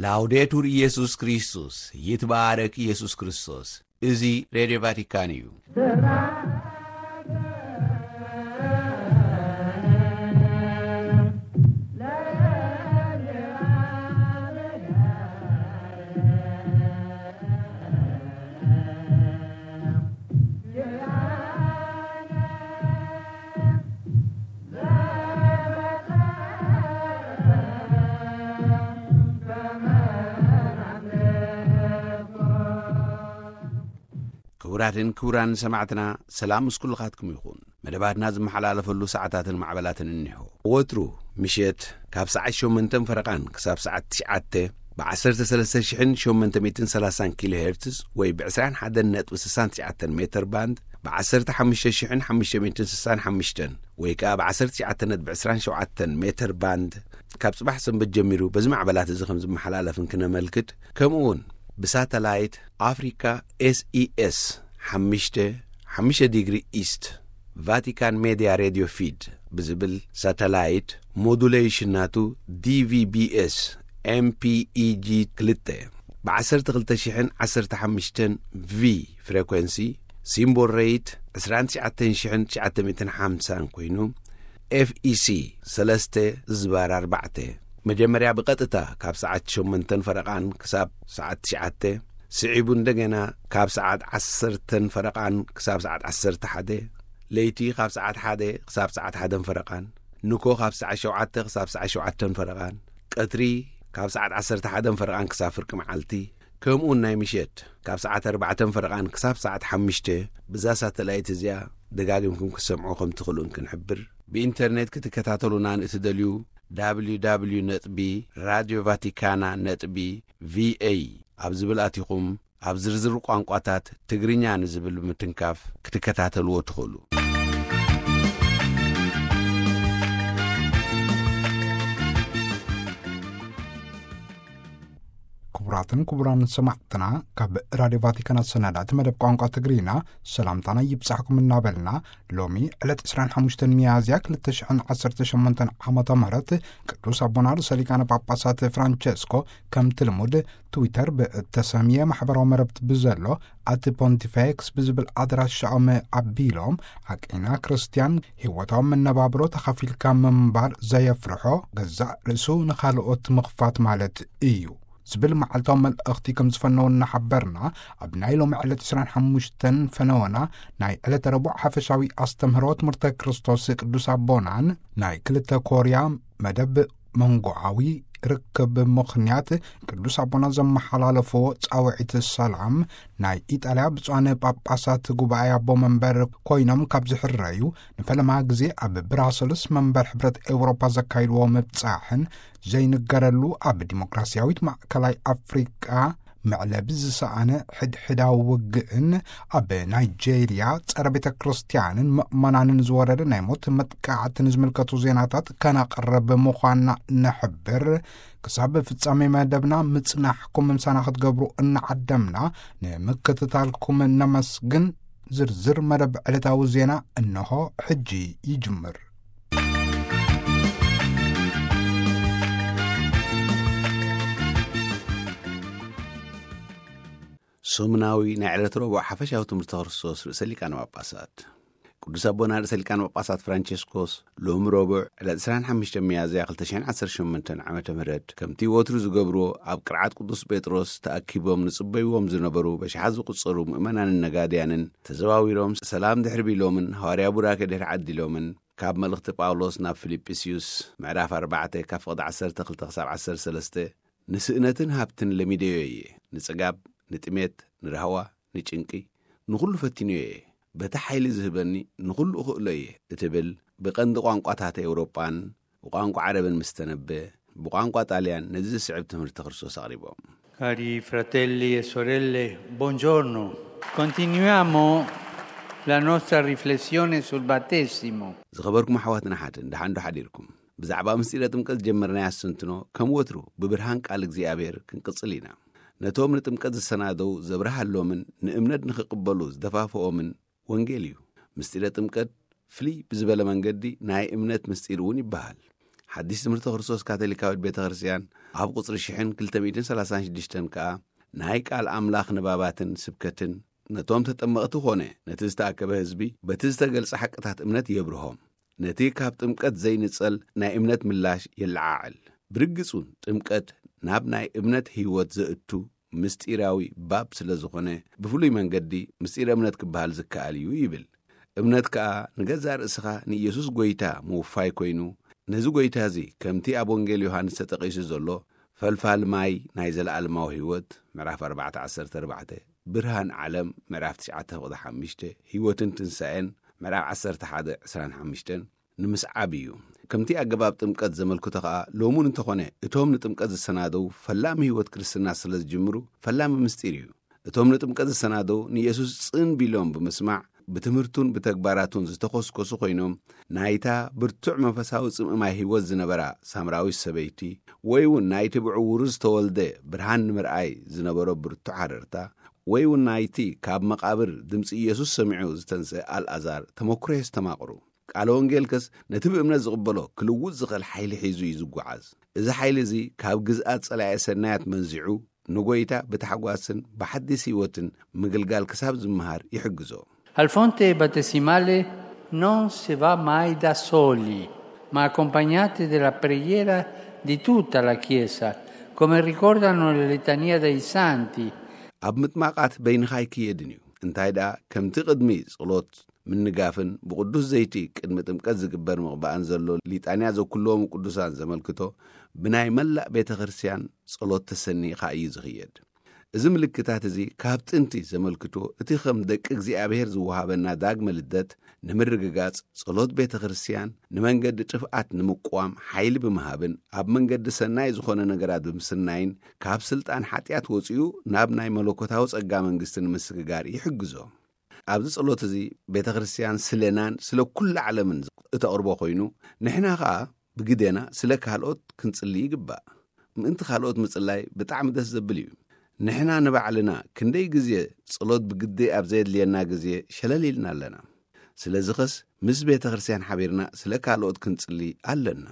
ላውዴቱር ኢየሱስ ክርስቶስ፣ ይትባረክ ኢየሱስ ክርስቶስ። እዚ ሬድዮ ቫቲካን እዩ። ክቡራትን ክቡራን ሰማዕትና፣ ሰላም ምስ ኩልኻትኩም ይኹን። መደባትና ዝመሓላለፈሉ ሰዓታትን ማዕበላትን እኒሆ። ወትሩ ምሸት ካብ ሰዓት ሸሞንተን ፈረቓን ክሳብ ሰዓት ትሽዓተ ብ ዓሰርተ ሰለስተ ሽሕን ሸሞንተ ሚእትን ሰላሳን ኪሎ ሄርትዝ ወይ ብ ዕስራን ሓደን ነጥቢ ስሳን ትሽዓተን ሜተር ባንድ፣ ብ ዓሰርተ ሓሙሽተ ሽሕን ሓሙሽተ ሚእትን ስሳን ሓሙሽተን ወይ ከኣ ብ ዓሰርተ ትሽዓተ ነጥቢ ዕስራን ሸውዓተን ሜተር ባንድ፣ ካብ ጽባሕ ሰንበት ጀሚሩ በዚ ማዕበላት እዚ ከም ዝመሓላለፍ እንክነመልክት፣ ከምኡ እውን ብሳተላይት ኣፍሪካ ኤስኢኤስ ሓሙሽተ ሓሙሽተ ዲግሪ ኢስት ቫቲካን ሜድያ ሬድዮ ፊድ ብዝብል ሳተላይት ሞዱሌሽን ናቱ ዲቪቢኤስ ኤምፒኢጂ ክልተ ብ ዓሰርተ ክልተ ሽሕን ዓሰርተ ሓሙሽተን ቪ ፍሬኮንሲ፣ ሲምቦል ሬት ዕስራን ትሽዓተን ሽሕን ትሽዓተ ሚእትን ሓምሳን ኮይኑ፣ ኤፍኢሲ ሰለስተ ዝባር ኣርባዕተ፣ መጀመርያ ብቐጥታ ካብ ሰዓት ሸሞንተን ፈረቓን ክሳብ ሰዓት ትሽዓተ፣ ስዒቡ እንደገና ካብ ሰዓት ዓሰርተን ፈረቓን ክሳብ ሰዓት ዓሰርተ ሓደ፣ ለይቲ ካብ ሰዓት ሓደ ክሳብ ሰዓት ሓደን ፈረቓን፣ ንኮ ካብ ሰዓት ሸውዓተ ክሳብ ሰዓት ሸውዓተን ፈረቓን፣ ቀትሪ ካብ ሰዓት ዓሰርተ ሓደን ፈረቓን ክሳብ ፍርቂ መዓልቲ፣ ከምኡውን ናይ ምሸት ካብ ሰዓት ኣርባዕተን ፈረቓን ክሳብ ሰዓት ሓሙሽተ፣ ብዛ ሳተላይት እዚኣ ደጋጊምኩም ክትሰምዑ ከም ትኽእሉ እንክንሕብር፣ ብኢንተርኔት ክትከታተሉና ንእትደልዩ፣ www ነጥቢ ራድዮ ቫቲካና ነጥቢ ቪኤ ኣብ ዝብል ኣቲኹም፣ ኣብ ዝርዝር ቋንቋታት ትግርኛ ንዝብል ብምትንካፍ ክትከታተልዎ ትኽእሉ። ክቡራትን ክቡራን ሰማዕትና፣ ካብ ራድዮ ቫቲካን ኣሰናዳእቲ መደብ ቋንቋ ትግርኛ ሰላምታና ይብጻሕኩም እናበልና፣ ሎሚ ዕለት ዕስራን ሓሙሽተን ሚያዝያ ክልተ ሽሕን ዓሰርተ ሸሞንተን ዓመተ ምህረት ቅዱስ ኣቦና ርእሰ ሊቃነ ጳጳሳት ፍራንቸስኮ ከምቲ ልሙድ ትዊተር ብእተሰምየ ማሕበራዊ መረብቲ ብዘሎ ኣቲ ፖንቲፌክስ ብዝብል ኣድራሻኦም ኣቢሎም፣ ሓቀይና ክርስትያን ህይወታዊ መነባብሮ ተኻፊልካ ምንባር ዘየፍርሖ፣ ገዛእ ርእሱ ንኻልኦት ምኽፋት ማለት እዩ ዝብል መዓልታዊ መልእኽቲ ከም ዝፈነው እናሓበርና፣ ኣብ ናይ ሎሚ ዕለት ዕስራን ሓሙሽተን ፈነወና ናይ ዕለተ ረቡዕ ሓፈሻዊ ኣስተምህሮ ትምህርተ ክርስቶስ ቅዱስ ኣቦናን ናይ ክልተ ኮርያ መደብ መንጎዓዊ ርክብ ምኽንያት ቅዱስ ኣቦና ዘመሓላለፍዎ ጻውዒት ሰላም፣ ናይ ኢጣልያ ብፁዓን ጳጳሳት ጉባኤ ኣቦ መንበር ኮይኖም ካብ ዝሕረዩ ንፈለማ ግዜ ኣብ ብራሰልስ መንበር ሕብረት ኤውሮፓ ዘካይድዎ ምብጻሕን ዘይንገረሉ ኣብ ዲሞክራሲያዊት ማእከላይ ኣፍሪቃ መዕለቢ ዝሰኣነ ሕድሕዳዊ ውግእን ኣብ ናይጄርያ ጸረ ቤተ ክርስቲያንን ምእመናንን ዝወረደ ናይ ሞት መጥቃዕትን ዝምልከቱ ዜናታት ከነቕርብ ምዃንና ንሕብር። ክሳብ ፍጻሜ መደብና ምጽናሕኩም ምሳና ክትገብሩ እናዓደምና ንምክትታልኩም ነመስግን። ዝርዝር መደብ ዕለታዊ ዜና እንሆ ሕጂ ይጅምር። ሰሙናዊ ናይ ዕለት ረቡዕ ሓፈሻዊ ትምህርቲ ክርስቶስ ርእሰ ሊቃነ ጳጳሳት። ቅዱስ ኣቦና ርእሰ ሊቃነ ጳጳሳት ፍራንቸስኮስ ሎሚ ረቡዕ ዕለት ዕስራን ሓሙሽተ ሚያዝያ ክልተ ሽሕን ዓሰርተ ሸሞንተን ዓመተ ምህረት ከምቲ ወትሩ ዝገብርዎ ኣብ ቅርዓት ቅዱስ ጴጥሮስ ተኣኪቦም ንጽበይዎም ዝነበሩ በሽሓት ዝቁጸሩ ምእመናንን ነጋድያንን ተዘዋዊሮም ሰላም ድሕሪ ቢሎምን ሃዋርያ ቡራኬ ድሕሪ ዓዲሎምን ካብ መልእኽቲ ጳውሎስ ናብ ፊልጵስዩስ ምዕራፍ ኣርባዕተ ካብ ፍቕዲ ዓሰርተ ክልተ ክሳብ ዓሰርተ ሰለስተ ንስእነትን ሃብትን ለሚደዮ እየ፣ ንጽጋብ፣ ንጥሜት፣ ንራህዋ፣ ንጭንቂ፣ ንኹሉ ፈቲነዮ እየ። በቲ ሓይሊ ዝህበኒ ንኹሉ እኽእሎ እየ እትብል ብቐንዲ ቋንቋታት ኤውሮጳን ብቋንቋ ዓረብን ምስ ተነበ፣ ብቋንቋ ጣልያን ነዚ ዝስዕብ ትምህርቲ ክርስቶስ ኣቕሪቦም። Cari fratelli e sorelle, buongiorno. Continuiamo la nostra riflessione sul battesimo. ዝኸበርኩም ኣሕዋትን ኣሓትን፣ ደሓን ዶ ሓዲርኩም? ብዛዕባ ምስጢረ ጥምቀት ዝጀመርናዮ ኣስተንትኖ ከም ወትሩ ብብርሃን ቃል እግዚኣብሔር ክንቅጽል ኢና። ነቶም ንጥምቀት ዝሰናደው ዘብርሃሎምን ንእምነት ንኽቕበሉ ዝደፋፍኦምን ወንጌል እዩ። ምስጢረ ጥምቀት ፍልይ ብዝበለ መንገዲ ናይ እምነት ምስጢር እውን ይበሃል። ሓድሽ ትምህርቲ ክርስቶስ ካቶሊካዊት ቤተ ክርስቲያን ኣብ ቁጽሪ ሽሕን ክልተ ሚእትን ሰላሳን ሽዱሽተን ከኣ ናይ ቃል ኣምላኽ ንባባትን ስብከትን ነቶም ተጠመቕቲ ኾነ ነቲ ዝተኣከበ ህዝቢ በቲ ዝተገልጸ ሓቅታት እምነት የብርሆም። ነቲ ካብ ጥምቀት ዘይንጸል ናይ እምነት ምላሽ የለዓዕል። ብርግጽ እውን ጥምቀት ናብ ናይ እምነት ህይወት ዘእቱ ምስጢራዊ ባብ ስለ ዝኾነ፣ ብፍሉይ መንገዲ ምስጢር እምነት ክበሃል ዝከኣል እዩ ይብል። እምነት ከኣ ንገዛእ ርእስኻ ንኢየሱስ ጐይታ ምውፋይ ኮይኑ፣ ነዚ ጐይታ እዚ ከምቲ ኣብ ወንጌል ዮሃንስ ተጠቒሱ ዘሎ፣ ፈልፋል ማይ ናይ ዘለኣለማዊ ህይወት፣ ምዕራፍ ኣርባዕተ ዓሰርተ ኣርባዕተ፣ ብርሃን ዓለም፣ ምዕራፍ ትሽዓተ ፍቕዲ ሓሙሽተ፣ ህይወትን ትንሳኤን፣ ምዕራፍ ዓሰርተ ሓደ ዕስራን ሓሙሽተን፣ ንምስዓብ እዩ። ከምቲ ኣገባብ ጥምቀት ዘመልክቶ ኸኣ፣ ሎሙን እንተኾነ እቶም ንጥምቀት ዝሰናደው ፈላሚ ህይወት ክርስትና ስለ ዝጅምሩ፣ ፈላሚ ምስጢር እዩ። እቶም ንጥምቀት ዝሰናደው ንየሱስ ጽን ቢሎም ብምስማዕ፣ ብትምህርቱን ብተግባራቱን ዝተኾስኮሱ ኮይኖም፣ ናይታ ብርቱዕ መንፈሳዊ ጽምእ ማይ ህይወት ዝነበራ ሳምራዊት ሰበይቲ፣ ወይ እውን ናይቲ ብዕውሩ ዝተወልደ ብርሃን ንምርኣይ ዝነበሮ ብርቱዕ ሃረርታ፣ ወይ እውን ናይቲ ካብ መቓብር ድምጺ ኢየሱስ ሰሚዑ ዝተንስአ ኣልኣዛር ተመክሮ የስተማቕሩ። ቃለ ወንጌልከስ ነቲ ብእምነት ዝቕበሎ ክልውጥ ዝኽእል ሓይሊ ሒዙ እዩ ዝጓዓዝ። እዚ ሓይሊ እዚ ካብ ግዝኣት ጸላኤ ሰናያት መንዚዑ ንጎይታ ብታሕጓስን ብሓዲስ ህይወትን ምግልጋል ክሳብ ዝመሃር ይሕግዞ። Al fonte battesimale non si va mai da soli, ma accompagnati dalla preghiera di tutta la Chiesa, come ricordano le litanie dei santi. ኣብ ምጥማቓት በይንኻ ኣይክየድን እዩ። እንታይ ደኣ፣ ከምቲ ቅድሚ ጸሎት ምንጋፍን ብቕዱስ ዘይቲ ቅድሚ ጥምቀት ዝግበር ምቕባእን ዘሎ ሊጣንያ ዘኩልዎም ቅዱሳን ዘመልክቶ፣ ብናይ መላእ ቤተ ክርስቲያን ጸሎት ተሰኒኻ እዩ ዝኽየድ። እዚ ምልክታት እዚ ካብ ጥንቲ ዘመልክቶ፣ እቲ ከም ደቂ እግዚኣብሔር ዝወሃበና ዳግመ ልደት ንምርግጋጽ፣ ጸሎት ቤተ ክርስቲያን ንመንገዲ ጥፍኣት ንምቋም ሓይሊ ብምሃብን ኣብ መንገዲ ሰናይ ዝኾነ ነገራት ብምስናይን፣ ካብ ስልጣን ሓጢኣት ወጺኡ ናብ ናይ መለኮታዊ ጸጋ መንግስቲ ንምስግጋር ይሕግዞ። ኣብዚ ጸሎት እዚ ቤተ ክርስቲያን ስለናን ስለ ኩሉ ዓለምን እተቕርቦ ኮይኑ፣ ንሕና ኸኣ ብግዴና ስለ ካልኦት ክንጽሊ ይግባእ። ምእንቲ ካልኦት ምጽላይ ብጣዕሚ ደስ ዘብል እዩ። ንሕና ንባዕልና ክንደይ ግዜ ጸሎት ብግዴ ኣብ ዘየድልየና ግዜ ሸለል ኢልና ኣለና። ስለዚ ኸስ ምስ ቤተ ክርስቲያን ሓቢርና ስለ ካልኦት ክንጽሊ ኣለና።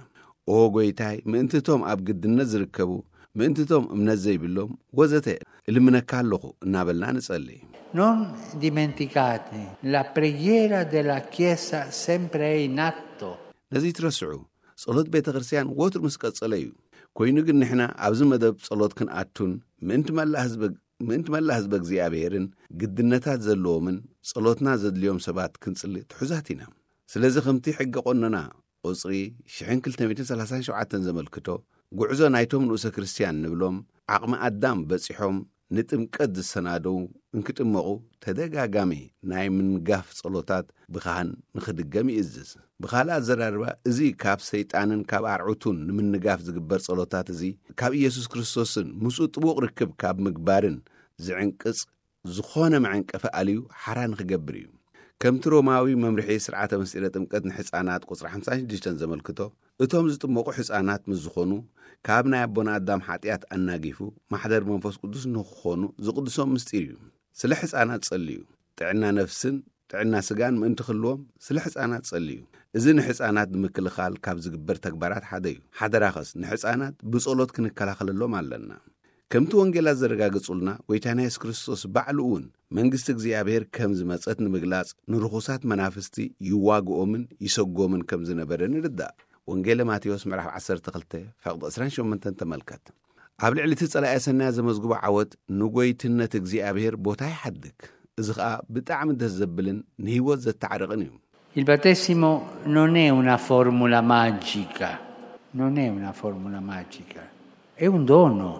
ኦ ጎይታይ፣ ምእንቲ እቶም ኣብ ግድነት ዝርከቡ፣ ምእንቲ እቶም እምነት ዘይብሎም ወዘተ እልምነካ ኣለኹ እናበልና ንጸሊ። Non dimenticate, la preghiera della Chiesa sempre è in atto. ነዚ ትረስዑ፣ ጸሎት ቤተ ክርስቲያን ወትሩ ምስ ቀጸለ እዩ። ኮይኑ ግን ንሕና ኣብዚ መደብ ጸሎት ክንኣቱን ምእንቲ መላእ ህዝበ ምእንቲ መላእ ህዝበ እግዚኣብሔርን ግድነታት ዘለዎምን ጸሎትና ዘድልዮም ሰባት ክንጽሊ ትሑዛት ኢና። ስለዚ ከምቲ ሕገ ቆነና ቁጽሪ ሽሕን ክልተ ሚእትን ሰላሳን ሸውዓተን ዘመልክቶ፣ ጉዕዞ ናይቶም ንኡሰ ክርስቲያን ንብሎም ዓቕሚ ኣዳም በጺሖም ንጥምቀት ዝሰናደው እንክጥመቑ ተደጋጋሚ ናይ ምንጋፍ ጸሎታት ብኻህን ንኽድገም ይእዝዝ። ብኻልእ ኣዘራርባ፣ እዚ ካብ ሰይጣንን ካብ ኣርዑቱን ንምንጋፍ ዝግበር ጸሎታት እዚ ካብ ኢየሱስ ክርስቶስን ምስኡ ጥቡቕ ርክብ ካብ ምግባርን ዝዕንቅጽ ዝኾነ መዐንቀፊ ኣልዩ ሓራ ንኽገብር እዩ። ከምቲ ሮማዊ መምርሒ ስርዓተ ምስጢረ ጥምቀት ንሕፃናት ቁጽሪ ሓምሳን ሽዱሽተን ዘመልክቶ፣ እቶም ዝጥመቑ ሕፃናት ምስ ዝኾኑ፣ ካብ ናይ ኣቦና ኣዳም ሓጢኣት ኣናጊፉ ማሕደር መንፈስ ቅዱስ ንኽኾኑ ዝቕድሶም ምስጢር እዩ። ስለ ሕፃናት ጸልዩ፣ ጥዕና ነፍስን ጥዕና ስጋን ምእንቲ ክህልዎም ስለ ሕፃናት ጸልዩ። እዚ ንሕፃናት ንምክልኻል ካብ ዝግበር ተግባራት ሓደ እዩ። ሓደራኸስ ንሕፃናት ብጸሎት ክንከላኸለሎም ኣለና። ከምቲ ወንጌላት ዘረጋግጹልና፣ ጎይታና የሱስ ክርስቶስ ባዕሉ እውን መንግስቲ እግዚኣብሔር ከም ዝመጸት ንምግላጽ ንርኹሳት መናፍስቲ ይዋግኦምን ይሰጎምን ከም ዝነበረ ንርዳእ። ወንጌለ ማቴዎስ ምዕራፍ ዓሰርተ ክልተ ፈቕዲ ዕስራን ሸሞንተን ተመልከት። ኣብ ልዕሊ እቲ ጸላኢ ሰናያ ዘመዝግቦ ዓወት ንጎይትነት እግዚኣብሔር ቦታ ይሓድግ። እዚ ኸኣ ብጣዕሚ ደስ ዘብልን ንህይወት ዘተዓርቕን እዩ። Il battesimo non è una formula magica, non è una formula magica, è un dono,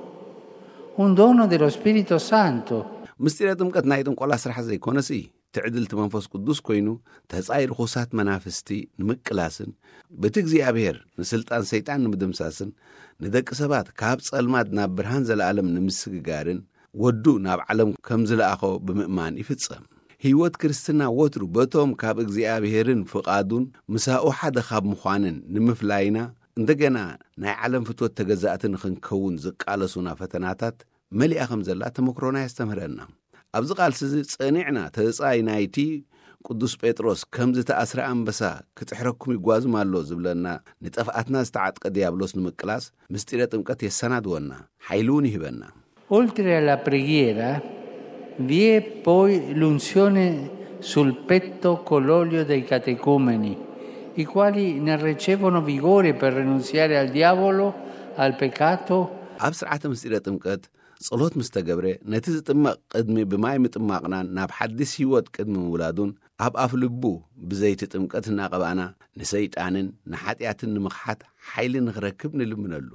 un dono dello Spirito Santo. ምስጢረ ጥምቀት ናይ ጥንቆላ ስራሕ ዘይኮነስ እዩ። ትዕድልቲ መንፈስ ቅዱስ ኮይኑ ተጻይ ርኹሳት መናፍስቲ ንምቅላስን በቲ እግዚኣብሔር ንስልጣን ሰይጣን ንምድምሳስን ንደቂ ሰባት ካብ ጸልማት ናብ ብርሃን ዘለኣለም ንምስግጋርን ወዱ ናብ ዓለም ከም ዝለኣኾ ብምእማን ይፍጸም። ህይወት ክርስትና ወትሩ በቶም ካብ እግዚኣብሔርን ፍቓዱን ምሳኡ ሓደ ካብ ምዃንን ንምፍላይና እንደገና ናይ ዓለም ፍትወት ተገዛእቲ ንኽንከውን ዝቃለሱና ፈተናታት መሊኣ ከም ዘላ ተመክሮና የስተምህረና። ኣብዚ ቃልሲ እዚ ጸኒዕና ተጻይ ናይቲ ቅዱስ ጴጥሮስ ከም ዝተኣስረ ኣንበሳ ክጥሕረኩም ይጓዝም ኣሎ ዝብለና፣ ንጠፍኣትና ዝተዓጥቀ ዲያብሎስ ንምቅላስ ምስጢረ ጥምቀት የሰናድወና፣ ሓይሊ እውን ይህበና። Oltre alla preghiera, vi è poi l'unzione sul petto con l'olio dei catecumeni, i quali ne ricevono vigore per rinunziare al diavolo, al peccato. ኣብ ስርዓተ ምስጢረ ጥምቀት ጸሎት ምስ ተገብረ፣ ነቲ ዝጥመቕ ቅድሚ ብማይ ምጥማቕናን ናብ ሓድስ ህይወት ቅድሚ ምውላዱን፣ ኣብ ኣፍ ልቡ ብዘይቲ ጥምቀት እናቐባእና፣ ንሰይጣንን ንሓጢኣትን ንምኽሓት ሓይሊ ንኽረክብ ንልምነሉ።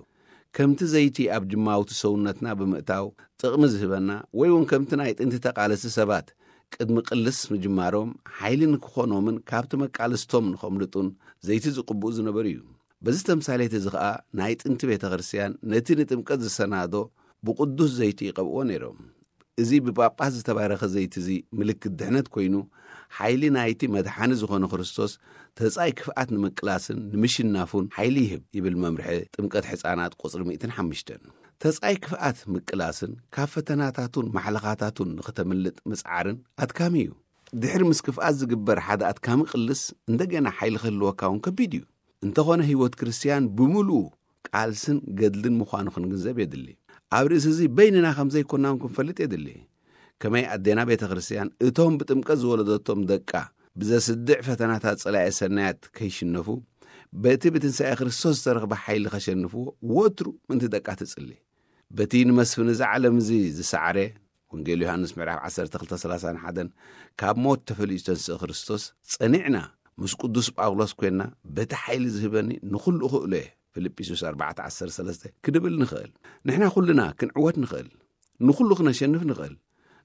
ከምቲ ዘይቲ ኣብ ጅማውቲ ሰውነትና ብምእታው ጥቕሚ ዝህበና፣ ወይ እውን ከምቲ ናይ ጥንቲ ተቓለስቲ ሰባት ቅድሚ ቅልስ ምጅማሮም ሓይሊ ንክኾኖምን ካብቲ መቃልስቶም ንኸምልጡን ዘይቲ ዝቕብኡ ዝነበሩ እዩ። በዚ ተምሳሌት እዚ ኸኣ ናይ ጥንቲ ቤተ ክርስቲያን ነቲ ንጥምቀት ዝሰናዶ ብቕዱስ ዘይቲ ይቐብእዎ ነይሮም። እዚ ብጳጳስ ዝተባረኸ ዘይቲ እዚ ምልክት ድሕነት ኮይኑ፣ ሓይሊ ናይቲ መድሓኒ ዝኾነ ክርስቶስ ተጻይ ክፍኣት ንምቅላስን ንምሽናፉን ሓይሊ ይህብ ይብል መምርሒ ጥምቀት ሕፃናት ቁጽሪ ሚእትን ሓሙሽተን። ተጻይ ክፍኣት ምቅላስን ካብ ፈተናታቱን ማሕለኻታቱን ንኽተምልጥ ምጽዓርን ኣድካሚ እዩ። ድሕሪ ምስ ክፍኣት ዝግበር ሓደ ኣድካሚ ቅልስ እንደገና ሓይሊ ክህልወካ እውን ከቢድ እዩ። እንተኾነ ህይወት ክርስትያን ብምሉኡ ቃልስን ገድልን ምዃኑ ክንግንዘብ የድሊ። ኣብ ርእሲ እዚ በይንና ከም ዘይኮናውን ክንፈልጥ የድሊ። ከመይ ኣዴና ቤተ ክርስትያን እቶም ብጥምቀት ዝወለደቶም ደቃ ብዘስድዕ ፈተናታት ጸላኤ ሰናያት ከይሽነፉ፣ በቲ ብትንሳኤ ክርስቶስ ዝተረኽበ ሓይሊ ከሸንፍዎ ወትሩ ምንቲ ደቃ ትጽሊ። በቲ ንመስፍን እዚ ዓለም እዚ ዝሰዓረ፣ ወንጌል ዮሃንስ ምዕራፍ ዓሰርተ ክልተ ሰላሳን ሓደን፣ ካብ ሞት ተፈልዩ ዝተንስእ ክርስቶስ፣ ጸኒዕና ምስ ቅዱስ ጳውሎስ ኮይንና፣ በቲ ሓይሊ ዝህበኒ ንኹሉ እኽእሎ እየ፣ ፊልጵስዩስ ኣርባዕተ ዓሰርተ ሰለስተ፣ ክንብል ንኽእል። ንሕና ኩልና ክንዕወት ንኽእል፣ ንኹሉ ክነሸንፍ ንኽእል።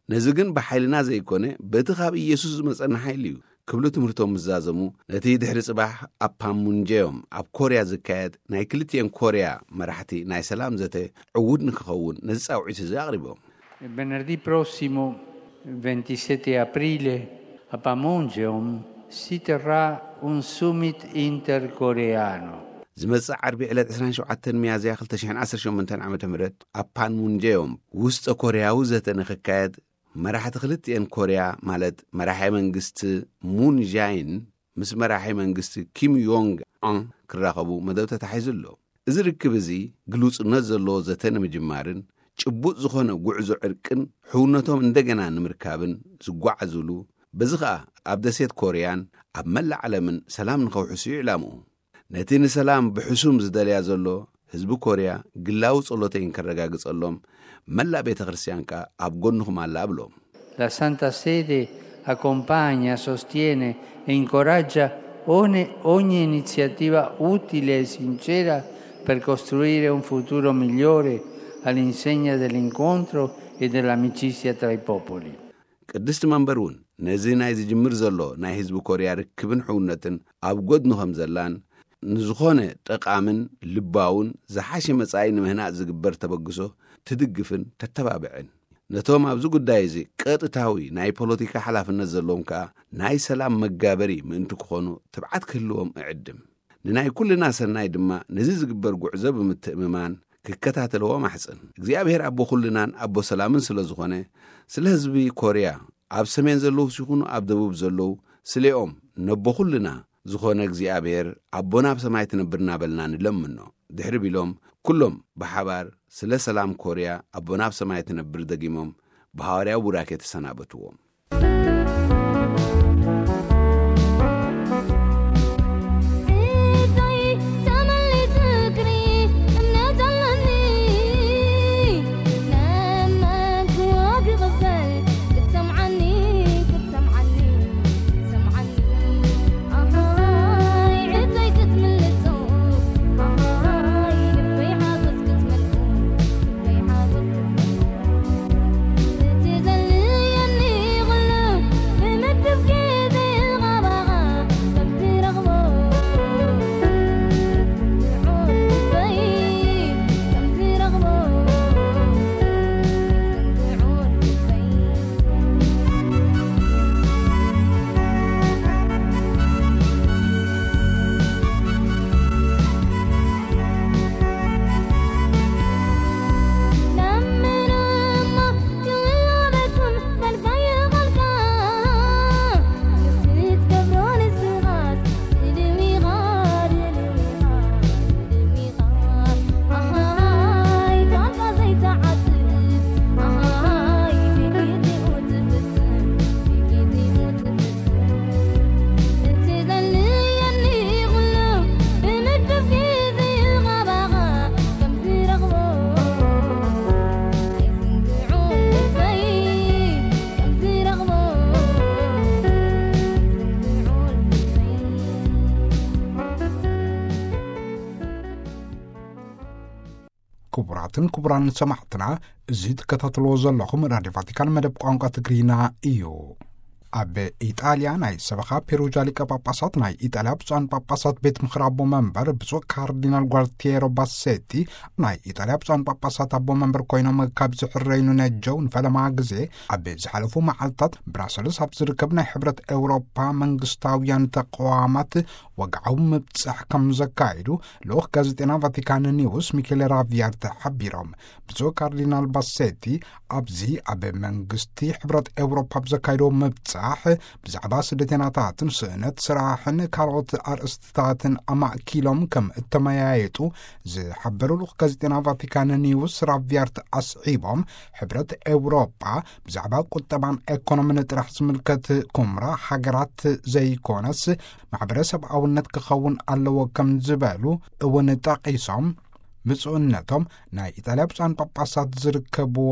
ነዚ ግን ብሓይልና ዘይኮነ፣ በቲ ካብ ኢየሱስ ዝመጸና ሓይሊ እዩ ክብሉ ትምህርቶም ምስ ዛዘሙ፣ ነቲ ድሕሪ ጽባሕ ኣብ ፓንሙንጀዮም ኣብ ኮርያ ዝካየድ ናይ ክልቲኤን ኮርያ መራሕቲ ናይ ሰላም ዘተ ዕዉት ንክኸውን ነዚ ጻውዒት እዚ ኣቕሪቦም። E venerdì prossimo, ventisette aprile, a Panmunjom si terrà un summit intercoreano. ዝመጽእ ዓርቢ ዕለት ዕስራን ሸውዓተን ሚያዝያ ክልተ ሽሕን ዓሰርተ ሸሞንተን ዓመተ ምህረት ኣብ ፓንሙንጀዮም ውስጠ ኮርያዊ ዘተ ንክካየድ፣ መራሕቲ ክልቲኤን ኮርያ፣ ማለት መራሒ መንግስቲ ሙን ጃይን ምስ መራሒ መንግስቲ ኪም ዮንግ ኦን ክራኸቡ መደብ ተታሒዙ ኣሎ። እዚ ርክብ እዚ ግሉጽነት ዘለዎ ዘተ ንምጅማርን ጭቡጥ ዝኾነ ጉዕዞ ዕርቅን ሕውነቶም እንደገና ንምርካብን ዝጓዓዙሉ፣ በዚ ኸኣ ኣብ ደሴት ኮርያን ኣብ መላእ ዓለምን ሰላም ንኸውሕሱ እዩ ዕላምኡ። ነቲ ንሰላም ብሕሱም ዝደልያ ዘሎ ህዝቢ ኮርያ ግላዊ ጸሎተይን ከረጋግጸሎም፣ መላእ ቤተ ክርስትያን ከኣ ኣብ ጎንኹም ኣላ እብሎም። La Santa Sede accompagna, sostiene e incoraggia ogni, ogni iniziativa utile e sincera per costruire un futuro migliore all'insegna dell'incontro e dell'amicizia tra i popoli. ቅድስቲ መንበር እውን ነዚ ናይ ዝጅምር ዘሎ ናይ ህዝቢ ኮርያ ርክብን ሕውነትን ኣብ ጎድኑ ከም ዘላን፣ ንዝኾነ ጠቓምን ልባውን ዝሓሸ መጻኢ ንምህናጽ ዝግበር ተበግሶ ትድግፍን ተተባብዕን፣ ነቶም ኣብዚ ጉዳይ እዚ ቀጥታዊ ናይ ፖለቲካ ሓላፍነት ዘለዎም ከኣ ናይ ሰላም መጋበሪ ምእንቲ ክኾኑ ትብዓት ክህልዎም እዕድም። ንናይ ኩልና ሰናይ ድማ ነዚ ዝግበር ጉዕዞ ብምትእምማን ክከታተልዎ ማሕጽን። እግዚኣብሔር ኣቦ ኩልናን ኣቦ ሰላምን ስለ ዝኾነ፣ ስለ ህዝቢ ኮርያ፣ ኣብ ሰሜን ዘለዉ ሲኹኑ ኣብ ደቡብ ዘለዉ፣ ስሌኦም ነቦ ኩልና ዝኾነ እግዚኣብሔር ኣቦና ኣብ ሰማይ ትነብር እናበልና ንለምኖ። ድሕሪ ቢሎም ኩሎም ብሓባር ስለ ሰላም ኮርያ ኣቦና ኣብ ሰማይ ትነብር ደጊሞም ብሃዋርያዊ ቡራኬ ተሰናበትዎም። ክቡራትን ክቡራን ሰማዕትና፣ እዚ ትከታተልዎ ዘለኹም ራድዮ ቫቲካን መደብ ቋንቋ ትግርኛ እዩ። ኣብ ኢጣልያ ናይ ሰበኻ ፔሩጃ ሊቀ ጳጳሳት፣ ናይ ኢጣልያ ብፁዓን ጳጳሳት ቤት ምኽሪ ኣቦ መንበር ብፁዕ ካርዲናል ጓልቲየሮ ባሴቲ፣ ናይ ኢጣልያ ብፁዓን ጳጳሳት ኣቦ መንበር ኮይኖም ካብ ዝሕረዩ ንነጀው ንፈለማ ግዜ ኣብ ዝሓለፉ መዓልታት ብራሰልስ ኣብ ዝርከብ ናይ ሕብረት ኤውሮፓ መንግስታውያን ተቋማት ወግዓዊ ምብጻሕ ከም ዘካየዱ ልኡኽ ጋዜጠና ቫቲካን ኒውስ ሚኬል ራቪያርተ ሓቢሮም። ብፁዕ ካርዲናል ባሴቲ ኣብዚ ኣብ መንግስቲ ሕብረት ኤውሮፓ ብዘካየዶ ምብጻሕ ብዛዕባ ስደተኛታትን ስእነት ስራሕን ካልኦት ኣርእስትታትን ኣማእኪሎም ከም እተመያየጡ ዝሓበሩ ልኡኽ ጋዜጠና ቫቲካን ኒውስ ራቪያርት ኣስዒቦም፣ ሕብረት ኤውሮፓ ብዛዕባ ቁጠባን ኤኮኖሚን ጥራሕ ዝምልከት ኩምራ ሃገራት ዘይኮነስ ማሕበረሰብኣውነት ክኸውን ኣለዎ ከም ዝበሉ እውን ጠቒሶም፣ ብፁዕነቶም ናይ ኢጣልያ ብፁዓን ጳጳሳት ዝርከብዎ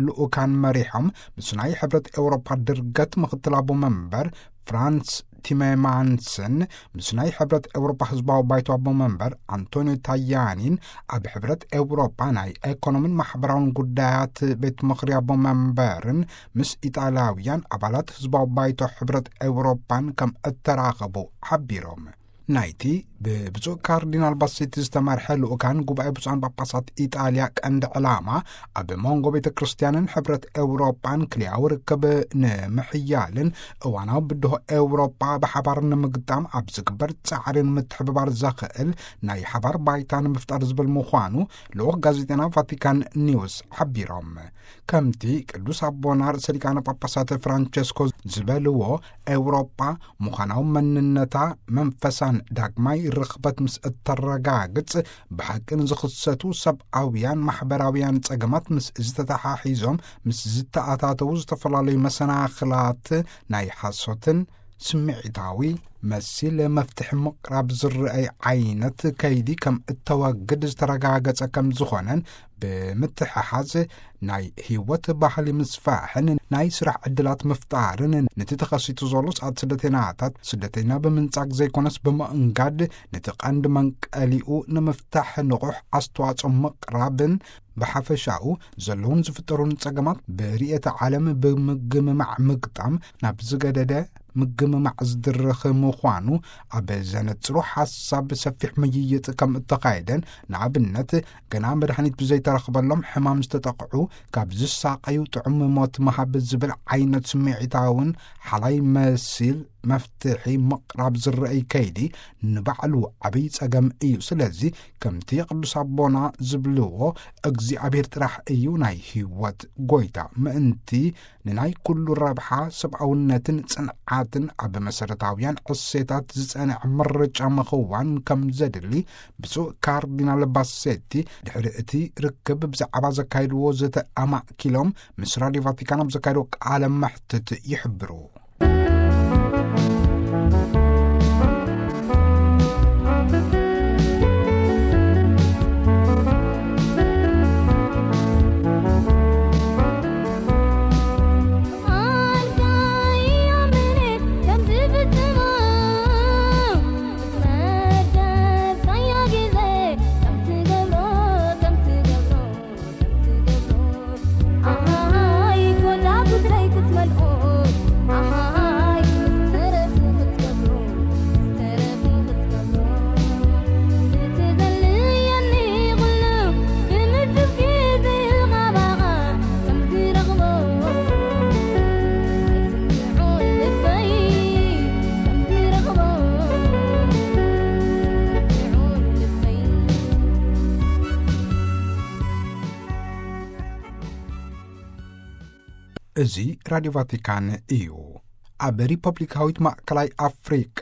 ልኡካን መሪሖም ምስ ናይ ሕብረት ኤውሮፓ ድርገት ምኽትል ኣቦ መንበር ፍራንስ ቲሜማንስን ምስ ናይ ሕብረት ኤውሮፓ ህዝባዊ ባይቶ ኣቦ መንበር ኣንቶኒዮ ታያኒን ኣብ ሕብረት ኤውሮፓ ናይ ኤኮኖሚን ማሕበራውን ጉዳያት ቤት ምኽሪ ኣቦ መንበርን ምስ ኢጣልያውያን ኣባላት ህዝባዊ ባይቶ ሕብረት ኤውሮፓን ከም እተራኸቡ ሓቢሮም። ናይቲ ብብፁዕ ካርዲናል ባሴቲ ዝተመርሐ ልኡካን ጉባኤ ብፁዓን ጳጳሳት ኢጣልያ ቀንዲ ዕላማ ኣብ መንጎ ቤተ ክርስቲያንን ሕብረት ኤውሮጳን ክልያዊ ርክብ ንምሕያልን እዋናዊ ብድሆ ኤውሮጳ ብሓባር ንምግጣም ኣብ ዝግበር ጻዕርን ምትሕብባር ዘኽእል ናይ ሓባር ባይታ ንምፍጣር ዝብል ምዃኑ ልኡኽ ጋዜጠና ቫቲካን ኒውስ ሓቢሮም። ከምቲ ቅዱስ ኣቦና ርእሰ ሊቃነ ጳጳሳት ፍራንቸስኮ ዝበልዎ፣ ኤውሮጳ ምዃናዊ መንነታ መንፈሳን ዳግማይ ርኽበት ምስ እተረጋግጽ፣ ብሓቂ ንዝኽሰቱ ሰብኣውያን ማሕበራውያን ጸገማት ምስ ዝተተሓሒዞም ምስ ዝተኣታተዉ ዝተፈላለዩ መሰናኽላት ናይ ሓሶትን ስምዒታዊ መሲል መፍትሒ ምቕራብ ዝረኣይ ዓይነት ከይዲ ከም እተወግድ ዝተረጋገጸ ከም ዝኾነን፣ ብምትሕሓዝ ናይ ህይወት ባህሊ ምስፋሕን ናይ ስራሕ ዕድላት ምፍጣርን፣ ነቲ ተኸሲቱ ዘሎ ስዓት ስደተኛታት ስደተኛ ብምንጻግ ዘይኮነስ ብምእንጋድ፣ ነቲ ቀንዲ መንቀሊኡ ንምፍታሕ ንቑሕ ኣስተዋጽኦ ምቕራብን፣ ብሓፈሻኡ ዘለውን ዝፍጠሩን ጸገማት ብርእየተ ዓለም ብምግምማዕ ምግጣም ናብ ዝገደደ ምግምማዕ ዝድርኽ ምዃኑ ኣብ ዘነጽሩ ሓሳብ ሰፊሕ ምይይጥ ከም እተኻየደን፣ ንኣብነት፣ ገና መድሃኒት ብዘይተረኽበሎም ሕማም ዝተጠቕዑ ካብ ዝሳቐዩ ጥዑም ሞት ምሃብ ዝብል ዓይነት ስምዒታውን ሓላይ መሲል መፍትሒ ምቕራብ ዝረኣይ ከይዲ ንባዕሉ ዓብይ ጸገም እዩ። ስለዚ ከምቲ ቅዱስ ኣቦና ዝብልዎ፣ እግዚኣብሔር ጥራሕ እዩ ናይ ህይወት ጎይታ። ምእንቲ ንናይ ኩሉ ረብሓ ሰብኣውነትን ጽንዓትን ኣብ መሰረታውያን እሴታት ዝጸንዐ ምርጫ ምኽዋን ከም ዘድሊ ብፁዕ ካርዲናል ባሴቲ ድሕሪ እቲ ርክብ ብዛዕባ ዘካየድዎ ዘተ ኣማእኪሎም ምስ ራድዮ ቫቲካን ኣብ ዘካየድዎ ቃለ መሕትት ይሕብሩ። እዚ ራድዮ ቫቲካን እዩ። ኣብ ሪፐብሊካዊት ማእከላይ ኣፍሪቃ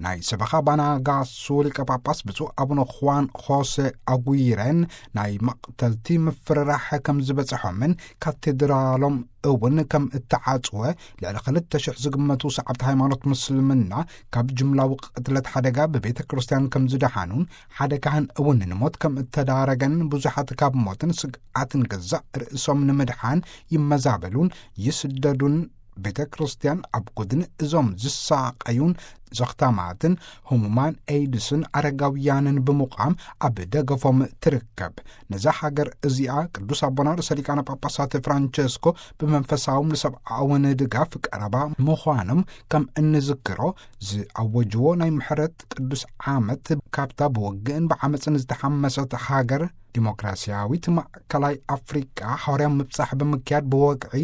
ናይ ሰበኻ ባናጋሱ ሊቀ ጳጳስ ብፁዕ ኣቡነ ኹዋን ሆሴ ኣጉይረን ናይ መቕተልቲ ምፍርራሕ ከም ዝበጽሖምን ካቴድራሎም እውን ከም እተዓጽወ፣ ልዕሊ ክልተ ሽሕ ዝግመቱ ሰዓብቲ ሃይማኖት ምስልምና ካብ ጅምላዊ ቅትለት ሓደጋ ብቤተ ክርስቲያን ከም ዝደሓኑን ሓደ ካህን እውን ንሞት ከም እተዳረገን ብዙሓት ካብ ሞትን ስግኣትን ገዛእ ርእሶም ንምድሓን ይመዛበሉን ይስደዱን ቤተ ክርስቲያን ኣብ ጎድኒ እዞም ዝሳቐዩን ዘኽታማትን ህሙማን ኤይድስን ኣረጋውያንን ብምቋም ኣብ ደገፎም ትርከብ። ነዛ ሃገር እዚኣ ቅዱስ ኣቦና ርእሰ ሊቃነ ጳጳሳት ፍራንቸስኮ ብመንፈሳውን ብሰብኣውን ድጋፍ ቀረባ ምዃኖም ከም እንዝክሮ ዝኣወጅዎ ናይ ምሕረት ቅዱስ ዓመት ካብታ ብውግእን ብዓመፅን ዝተሓመሰት ሃገር ዲሞክራሲያዊት ማእከላይ ኣፍሪቃ ሓዋርያ ምብጻሕ ብምክያድ ብወግዒ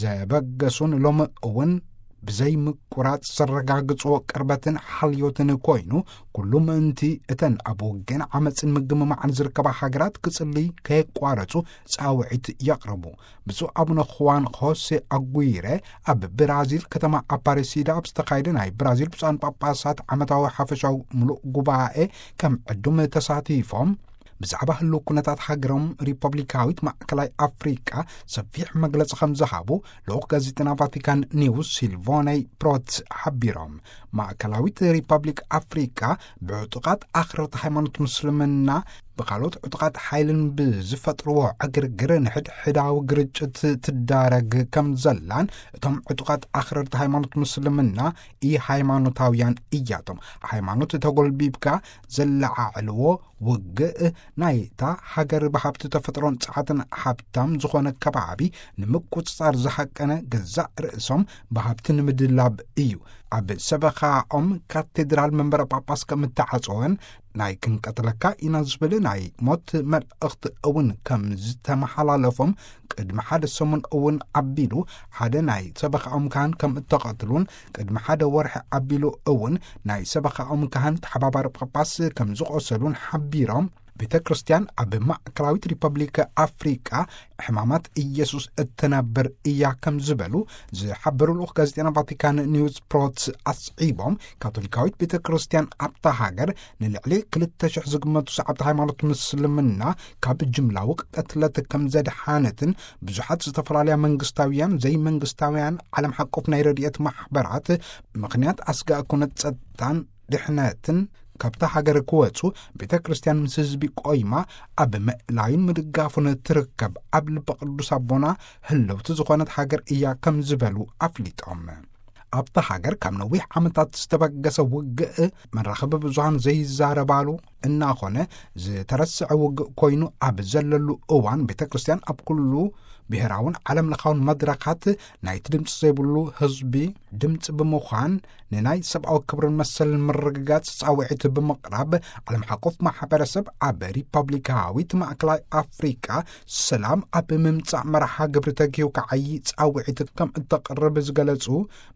ዘበገሱን ሎሚ እውን ብዘይ ምቁራጽ ዘረጋግጽዎ ቅርበትን ሓልዮትን ኮይኑ፣ ኩሉ ምእንቲ እተን ኣብ ውግእን ዓመጽን ምግምማዕን ዝርከባ ሃገራት ክጽሊ ከየቋረጹ ጻውዒት የቕርቡ። ብፁዕ ኣቡነ ኹዋን ኾሴ ኣጉይረ ኣብ ብራዚል ከተማ ኣፓሬሲዳ ኣብ ዝተኻየደ ናይ ብራዚል ብፁዓን ጳጳሳት ዓመታዊ ሓፈሻዊ ምሉእ ጉባኤ ከም ዕዱም ተሳቲፎም፣ ብዛዕባ ህልው ኩነታት ሃገሮም ሪፐብሊካዊት ማእከላይ ኣፍሪቃ ሰፊሕ መግለጺ ከም ዝሃቡ ልኡኽ ጋዜጠና ቫቲካን ኒውስ ሲልቮነይ ፕሮትስ ሓቢሮም። ማእከላዊት ሪፐብሊክ ኣፍሪቃ ብዕጡቓት ኣኽረርቲ ሃይማኖት ምስልምና ብካልኦት ዕጡቓት ሓይልን ብዝፈጥርዎ ዕግርግር ንሕድሕዳዊ ግርጭት ትዳረግ ከም ዘላን፣ እቶም ዕጡቓት ኣኽረርቲ ሃይማኖት ምስልምና ኢ ሃይማኖታውያን እያቶም። ሃይማኖት ተጎልቢብካ ዘለዓዕልዎ ውግእ ናይታ ሃገር ብሃብቲ ተፈጥሮን ጸዓትን ሃብታም ዝኾነ ከባቢ ንምቁጽጻር ዝሃቀነ ገዛእ ርእሶም ብሃብቲ ንምድላብ እዩ። ኣብ ሰበኻኦም ካቴድራል መንበረ ጳጳስ ከም እተዓጸወን ናይ ክንቀትለካ ኢና ዝብል ናይ ሞት መልእኽቲ እውን ከም ዝተመሓላለፎም ቅድሚ ሓደ ሰሙን እውን ኣቢሉ ሓደ ናይ ሰበኻኦም ካህን ከም እተቐትሉን ቅድሚ ሓደ ወርሒ ኣቢሉ እውን ናይ ሰበኻኦም ካህን ተሓባባሪ ጳጳስ ከም ዝቖሰሉን ሓቢሮም፣ ቤተ ክርስቲያን ኣብ ማእከላዊት ሪፐብሊክ ኣፍሪቃ ሕማማት ኢየሱስ እትነብር እያ ከም ዝበሉ ዝሓበሩ ልኡኽ ጋዜጠና ቫቲካን ኒውስ ፕሮትስ ኣስዒቦም፣ ካቶሊካዊት ቤተ ክርስቲያን ኣብታ ሃገር ንልዕሊ ክልተ ሽሕ ዝግመቱ ሰዓብቲ ሃይማኖት ምስልምና ካብ ጅምላዊ ቅትለት ከም ዘድሓነትን ብዙሓት ዝተፈላለያ መንግስታውያን ዘይመንግስታውያን ዓለም ሓቆፍ ናይ ረድኤት ማሕበራት ምኽንያት ኣስጋእ ኩነት ጸጥታን ድሕነትን ካብታ ሃገር ክወጹ ቤተ ክርስቲያን ምስ ህዝቢ ቆይማ ኣብ ምእላዩን ምድጋፉን ትርከብ ኣብ ልቢ ቅዱስ ኣቦና ህልውቲ ዝኾነት ሃገር እያ ከም ዝበሉ ኣፍሊጦም። ኣብታ ሃገር ካብ ነዊሕ ዓመታት ዝተበገሰ ውግእ መራኸቢ ብዙሃን ዘይዛረባሉ እናኾነ ዝተረስዐ ውግእ ኮይኑ ኣብ ዘለሉ እዋን ቤተ ክርስቲያን ኣብ ኩሉ ብሔራውን ዓለም ለኻውን መድረኻት ናይቲ ድምፂ ዘይብሉ ህዝቢ ድምፂ ብምዃን ንናይ ሰብኣዊ ክብርን መሰልን ምርግጋጽ ጻውዒት ብምቕራብ ዓለም ሓቆፍ ማሕበረሰብ ኣብ ሪፐብሊካዊት ማእከላይ ኣፍሪቃ ሰላም ኣብ ምምጻእ መርሓ ግብሪ ተጊሁ ክዓዪ ጻውዒት ከም እተቕርብ ዝገለጹ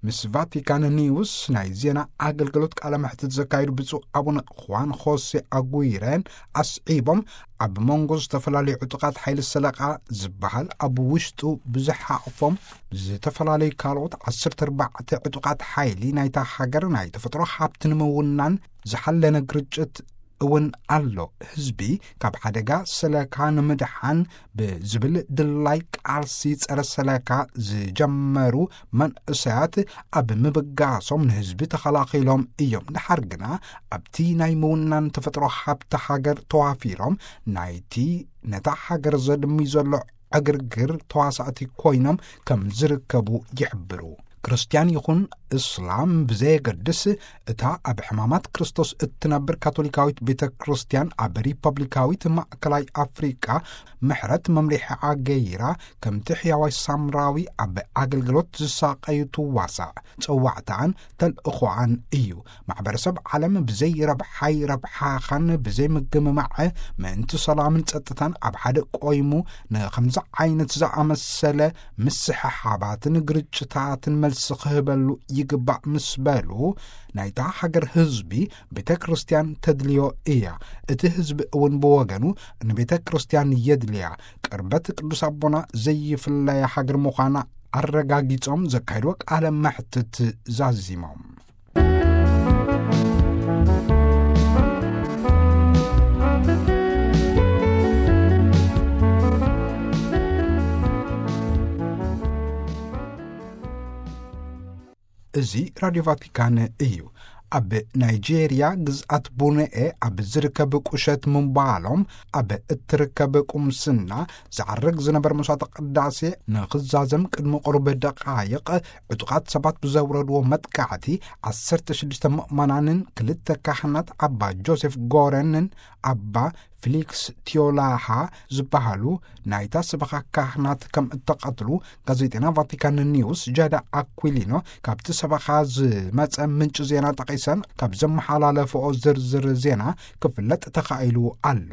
ምስ ቫቲካን ኒውስ ናይ ዜና ኣገልግሎት ቃለ መሕትት ዘካየዱ ብፁዕ ኣቡነ ኹዋን ኾሴ ኣጉይረን ኣስዒቦም ኣብ መንጎ ዝተፈላለዩ ዕጡቓት ሓይሊ ሰለቓ ዝበሃል ኣብ ውሽጡ ብዙሕ ሓቕፎም ዝተፈላለዩ ካልኦት ዓሰርተ ኣርባዕተ ዕጡቓት ሓይሊ ናይታ ሃገር ናይ ተፈጥሮ ሃብቲ ንምውናን ዝሓለነ ግርጭት እውን ኣሎ። ህዝቢ ካብ ሓደጋ ሰለካ ንምድሓን ብዝብል ድላይ ቃልሲ ጸረ ሰለካ ዝጀመሩ መንእሰያት ኣብ ምብጋሶም ንህዝቢ ተኸላኺሎም እዮም። ድሓር ግና ኣብቲ ናይ ምውናን ተፈጥሮ ሃብቲ ሃገር ተዋፊሮም ናይቲ ነታ ሃገር ዘድሚ ዘሎ ዕግርግር ተዋሳእቲ ኮይኖም ከም ዝርከቡ ይሕብሩ። ክርስትያን ይኹን እስላም ብዘየገድስ፣ እታ ኣብ ሕማማት ክርስቶስ እትነብር ካቶሊካዊት ቤተ ክርስትያን ኣብ ሪፐብሊካዊት ማእከላይ ኣፍሪቃ ምሕረት መምሪሒኣ ገይራ፣ ከምቲ ሕያዋይ ሳምራዊ ኣብ ኣገልግሎት ዝሳቐዩ ትዋሳእ። ጸዋዕታኣን ተልእኾኣን እዩ። ማሕበረሰብ ዓለም ብዘይ ረብሓይ ረብሓኻን ብዘይ ምግምማዕ ምእንቲ ሰላምን ጸጥታን ኣብ ሓደ ቆይሙ ንኸምዚ ዓይነት ዝኣመሰለ ምስሕሓባትን ግርጭታትን መልሲ ክህበሉ ይግባእ ምስ በሉ፣ ናይታ ሃገር ህዝቢ ቤተ ክርስቲያን ተድልዮ እያ። እቲ ህዝቢ እውን ብወገኑ ንቤተ ክርስቲያን የድልያ። ቅርበት ቅዱስ ኣቦና ዘይፍለያ ሃገር ምዃና ኣረጋጊጾም ዘካየድዎ ቃለ መሕትት ዛዚሞም። እዚ ራድዮ ቫቲካን እዩ። ኣብ ናይጄርያ ግዝኣት ቡነኤ ኣብ ዝርከብ ቁሸት ምንባሎም ኣብ እትርከብ ቁምስና ዝዓርግ ዝነበረ መስዋዕተ ቅዳሴ ንኽዛዘም ቅድሚ ቁሩብ ደቃይቕ ዕጡቓት ሰባት ብዘውረድዎ መጥቃዕቲ ዓሰርተ ሽዱሽተ ምእመናንን ክልተ ካህናት ኣባ ጆሴፍ ጎረንን ኣባ ፊሊክስ ቲዮላሃ ዝበሃሉ ናይታ ሰበኻ ካህናት ከም እተቐትሉ ጋዜጠና ቫቲካን ኒውስ ጃዳ ኣኩሊኖ ካብቲ ሰበኻ ዝመጸ ምንጭ ዜና ጠቒሰን ካብ ዘመሓላለፈኦ ዝርዝር ዜና ክፍለጥ ተኻኢሉ ኣሎ።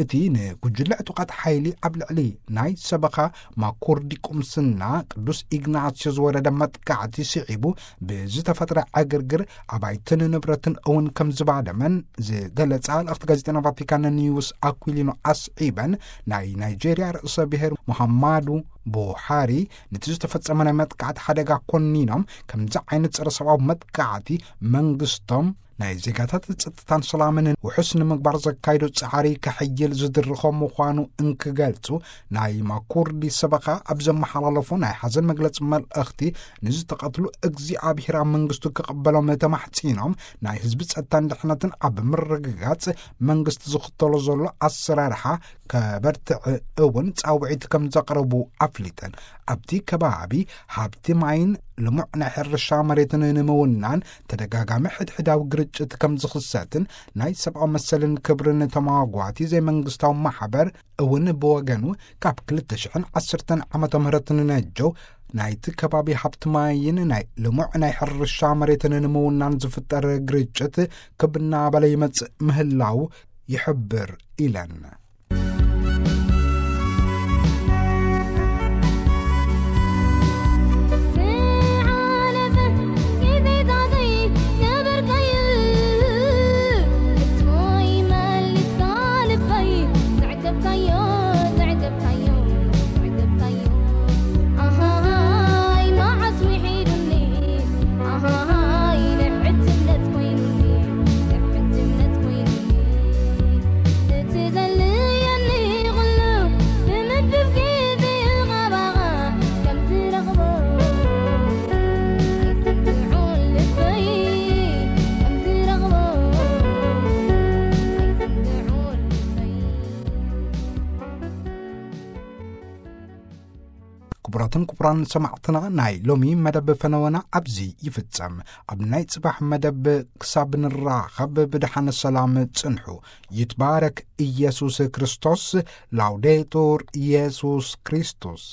እቲ ንጉጅለ ዕጡቓት ሓይሊ ኣብ ልዕሊ ናይ ሰበኻ ማኩርዲ ቁምስና ቅዱስ ኢግናስዮ ዝወረደ መጥቃዕቲ ስዒቡ ብዝተፈጥረ ዕግርግር ኣባይትን ንብረትን እውን ከም ዝባደመን ዝገለጻ ልእኽቲ ጋዜጠና ቫቲካን ኒውስ ኣኩሊኖ ኣስዒበን፣ ናይ ናይጄርያ ርእሰ ብሔር ሙሃማዱ ቡሃሪ ነቲ ዝተፈጸመ ናይ መጥቃዕቲ ሓደጋ ኮኒኖም፣ ከምዚ ዓይነት ጸረ ሰብኣዊ መጥቃዕቲ መንግስቶም ናይ ዜጋታት ጸጥታን ሰላምን ውሑስ ንምግባር ዘካይዶ ጻዕሪ ከሕይል ዝድርኾ ምዃኑ እንክገልጹ፣ ናይ ማኩርዲ ሰበኻ ኣብ ዘመሓላለፎ ናይ ሓዘን መግለጺ መልእኽቲ፣ ንዝተቐትሉ እግዚኣብሔር ኣብ መንግስቱ ክቕበሎም ተማሕጺኖም፣ ናይ ህዝቢ ጸጥታን ድሕነትን ኣብ ምርግጋጽ መንግስቲ ዝኽተሎ ዘሎ ኣሰራርሓ ከበርትዕ እውን ጻውዒት ከም ዘቕረቡ ኣፍሊጠን። ኣብቲ ከባቢ ሃብቲ ማይን ልሙዕ ናይ ሕርሻ መሬትን ንምውናን ተደጋጋሚ ሕድሕዳዊ ግርጭት ከም ዝኽሰትን ናይ ሰብኣዊ መሰልን ክብርን ተማጓቲ ዘይመንግስታዊ ማሕበር እውን ብወገኑ ካብ ክልተ ሽሕን ዓሰርተን ዓመተ ምህረት ንነጀው ናይቲ ከባቢ ሃብቲ ማይን ናይ ልሙዕ ናይ ሕርሻ መሬትን ንምውናን ዝፍጠር ግርጭት ክብናበለ ይመጽእ ምህላው ይሕብር ኢለን። ክቡራትን ክቡራን ሰማዕትና፣ ናይ ሎሚ መደብ ፈነወና ኣብዚ ይፍጸም። ኣብ ናይ ጽባሕ መደብ ክሳብ ንራኸብ ብደሓን ሰላም ጽንሑ። ይትባረክ ኢየሱስ ክርስቶስ። ላውዴቱር ኢየሱስ ክርስቶስ።